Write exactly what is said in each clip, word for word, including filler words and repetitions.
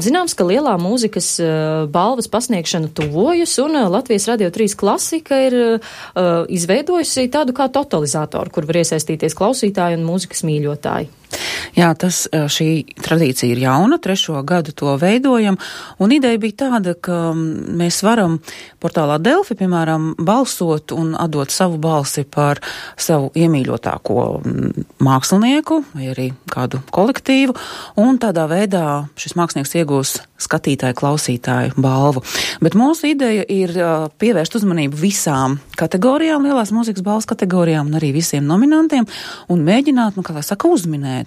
Zināms, ka lielā mūzikas uh, balvas pasniegšana tuvojas, un uh, Latvijas Radio trīs klasika ir uh, izveidojusi tādu kā totalizatoru, kur var iesaistīties klausītāji un mūzikas mīļotāji. Jā, tas, šī tradīcija ir jauna, trešo gadu to veidojam, un ideja bija tāda, ka mēs varam portālā Delfi, piemēram, balsot un atdot savu balsi par savu iemīļotāko mākslinieku vai arī kādu kolektīvu, un tādā veidā šis mākslinieks iegūs skatītāju, klausītāju balvu. Bet mūsu ideja ir pievērst uzmanību visām kategorijām, lielās mūzikas balvas kategorijām un arī visiem nominantiem, un mēģināt, nu, kā lai saka, uzminēt,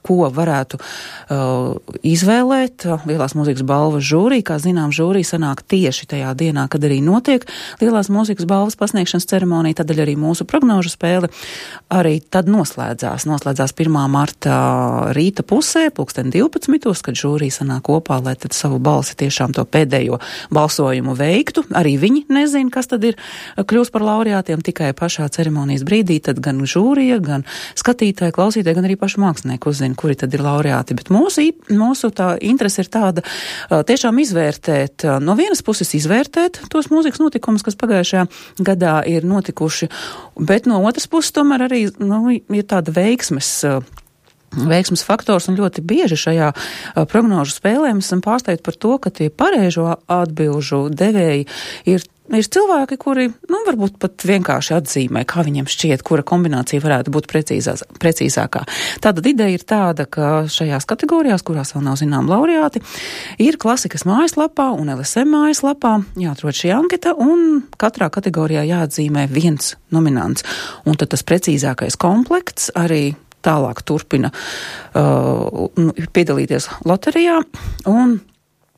ko varētu uh, izvēlēt lielās mūzikas balvas žūrī. Kā zinām, žūrī sanāk tieši tajā dienā, kad arī notiek lielās mūzikas balvas pasniegšanas ceremonija, tādēļ arī mūsu prognožu spēle arī tad noslēdzās. Noslēdzās pirmā marta rīta pusē, pulksten divpadsmitos, kad žūrī sanāk kopā, lai tad savu balsi tiešām to pēdējo balsojumu veiktu. Arī viņi nezina, kas tad ir kļūst par laureātiem, tikai pašā ceremonijas brīdī, tad gan žūrija, gan skatītāji, klausītāji, gan arī paši mākslinieki uzzina, kuri tad ir laureāti, bet mūsu, mūsu tā interese ir tāda tiešām izvērtēt, no vienas puses izvērtēt tos mūzikas notikumus, kas pagājušajā gadā ir notikuši, bet no otras puses tomēr arī, nu, ir tāda veiksmes veiksmes faktors, un ļoti bieži šajā prognožu spēlē mēs esam pārsteigti par to, ka tie pareizo atbilžu devēji ir Ir cilvēki, kuri, nu, varbūt pat vienkārši atzīmē, kā viņiem šķiet, kura kombinācija varētu būt precīzās, precīzākā. Tātad ideja ir tāda, ka šajās kategorijās, kurās vēl nav zinām laureāti, ir klasikas mājaslapā un L S M mājaslapā jāatrod šī anketa, un katrā kategorijā jāatzīmē viens nominants. Un tad tas precīzākais komplekts arī tālāk turpina uh, piedalīties loterijā, un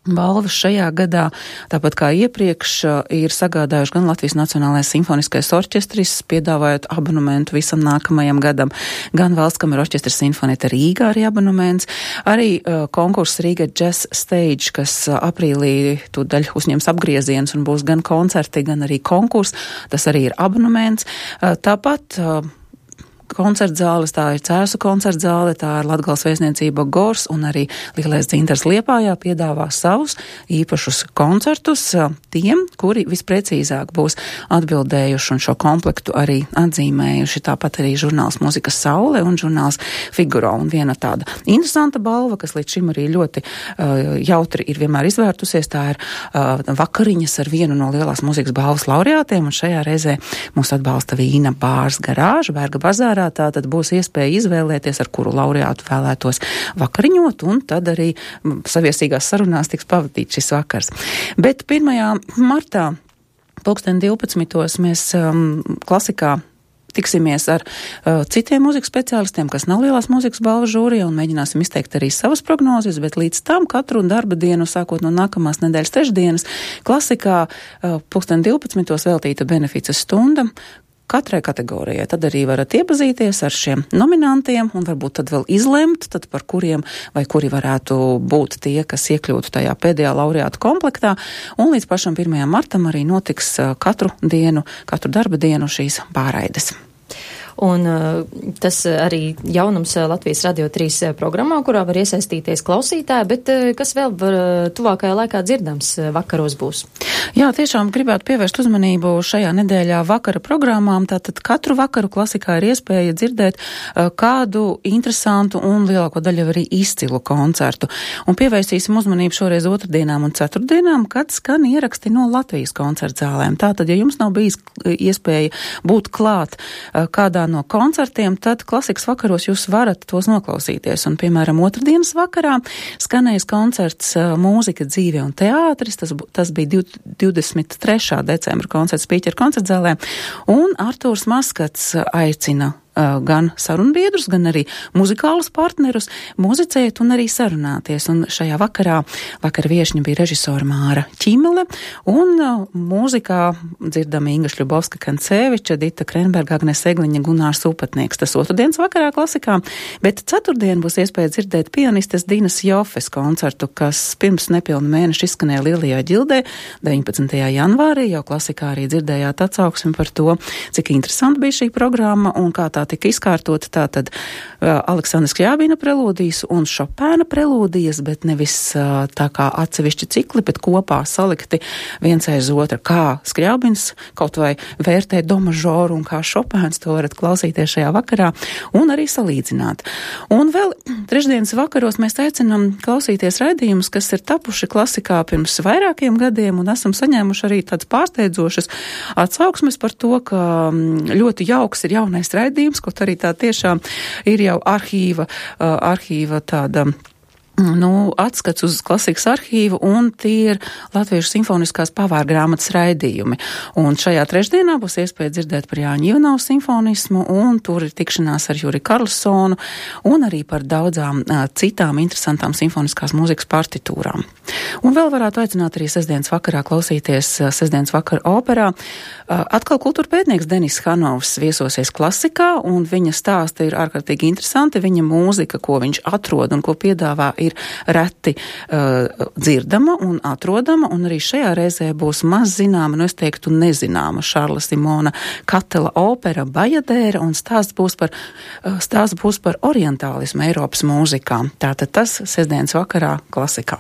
balvas šajā gadā, tāpat kā iepriekš, ir sagādājuši gan Latvijas Nacionālais simfoniskais orķestris, piedāvājot abonementu visam nākamajam gadam, gan Valstskameru orķestris Sinfonieta Rīgā arī abonements, arī uh, konkurss Rīga Jazz Stage, kas uh, aprīlī tūdaļ uzņems apgriezienus un būs gan koncerti, gan arī konkurss, tas arī ir abonements. Uh, tāpat uh, koncertzāles, tā ir Cēsu koncertzāle, tā ir Latgales vēstniecība Gors, un arī Lielais dzintars Liepājā piedāvā savus īpašus koncertus tiem, kuri visprecīzāk būs atbildējuši un šo komplektu arī atzīmējuši. Tāpat arī žurnāls Mūzikas Saule un žurnāls Figaro. Un viena tāda interesanta balva, kas līdz šim arī ļoti uh, jautri ir vienmēr izvērtusies, tā ir uh, vakariņas ar vienu no lielās mūzikas balvas laureātiem, un šajā reizē mūs atbalsta Vīna Bārs Garāža, Bērga bazārā. Tā tad būs iespēja izvēlēties, ar kuru laureātu vēlētos vakariņot, un tad arī saviesīgās sarunās tiks pavadīt šis vakars. Bet pirmajā martā, pulksten divpadsmitos, mēs um, klasikā tiksimies ar uh, citiem mūzikas speciālistiem, kas nav lielās mūzikas balvas žūrijā, un mēģināsim izteikt arī savas prognozes, bet līdz tam katru darba dienu, sākot no nākamās nedēļas trešdienas, klasikā uh, pulksten divpadsmitos veltīta benefices stunda katrai kategorijai. Tad arī varat iepazīties ar šiem nominantiem un varbūt tad vēl izlemt, tad par kuriem vai kuri varētu būt tie, kas iekļūtu tajā pēdējā laureātu komplektā. Un līdz pašam pirmajam martam arī notiks katru dienu, katru darba dienu šīs pārraides. Un uh, tas arī jaunums Latvijas Radio trīs programmā, kurā var iesaistīties klausītāji, bet uh, kas vēl var tuvākajā laikā dzirdams vakaros būs? Jā, tiešām gribētu pievērst uzmanību šajā nedēļā vakara programmām. Tātad katru vakaru klasikā ir iespēja dzirdēt uh, kādu interesantu un lielāko daļu arī izcilu koncertu. Un pievērsīsim uzmanību šoreiz otrdienām un ceturtdienām, kad skan ieraksti no Latvijas koncertzālēm. Tātad, ja jums nav bijis iespēja būt klāt uh, kādā no koncertiem, tad klasikas vakaros jūs varat tos noklausīties. Un, piemēram, otrdienas vakarā skanējis koncerts Mūzika, dzīve un teātris. Tas, tas bija divdesmit trešā decembra koncerts Pīķera koncertzālē. Un Artūrs Maskats aicina gan sarunbiedrus, gan arī muzikālus partnerus muzicēt un arī sarunāties. Un šajā vakarā, vakara viešņa bija režisora Māra Ķimele, un mūzikā dzirdama Inga Šļubovska-Kanceviča, Dita Krenberga, Agnes Egliņa, Gunārs Upatnieks. Tas otrdienas vakarā klasikā, bet ceturtdien būs iespēja dzirdēt pianistes Dinas Jofes koncertu, kas pirms nepilnu mēnešu izskanēja Lielajā ģildē, deviņpadsmitajā janvārī, jau klasikā arī dzirdējāt atsauksmi par to, cik interesanti bija šī programma un kā tā tika izkārtota tātad uh, Aleksandra Skļābina prelūdijas un Šopēna prelūdijas, bet nevis uh, tā kā atsevišķi cikli, bet kopā salikti viens aiz otra, kā Skļābins kaut vai vērtē do mažoru un kā Šopēns, to varat klausīties šajā vakarā un arī salīdzināt. Un vēl trešdienas vakaros mēs aicinām klausīties raidījumus, kas ir tapuši klasikā pirms vairākiem gadiem un esam saņēmuši arī tādas pārsteidzošas atsauksmes par to, ka ļoti jauks ir jaunais raidījums, kaut arī tā tiešām ir jau arhīva, arhīva tāda nu, atskats uz klasikas arhīvu, un tie ir Latviešu simfoniskās pavārgrāmatas raidījumi. Un šajā trešdienā būs iespēja dzirdēt par Jāņa Ivanova simfonismu, un tur ir tikšanās ar Juri Karlsonu, un arī par daudzām uh, citām interesantām simfoniskās mūzikas partitūrām. Un vēl varētu aicināt arī sestdienas vakarā klausīties uh, sestdienas vakara operā. Uh, atkal kultūra pētnieks Denis Hanovs viesosies klasikā, un viņa stāsti ir ārkārtīgi interesanti. Viņa mūzika, ko viņš atrod un ko piedāvā, ir reti uh, dzirdama un atrodama, un arī šajā reizē būs maz zināma, nu es teiktu nezināma Šarla Simona Katela opera Bajadēra, un stāsts būs par, uh, stāsts būs par orientālismu Eiropas mūzikā. Tātad tas sestdienas vakarā klasikā.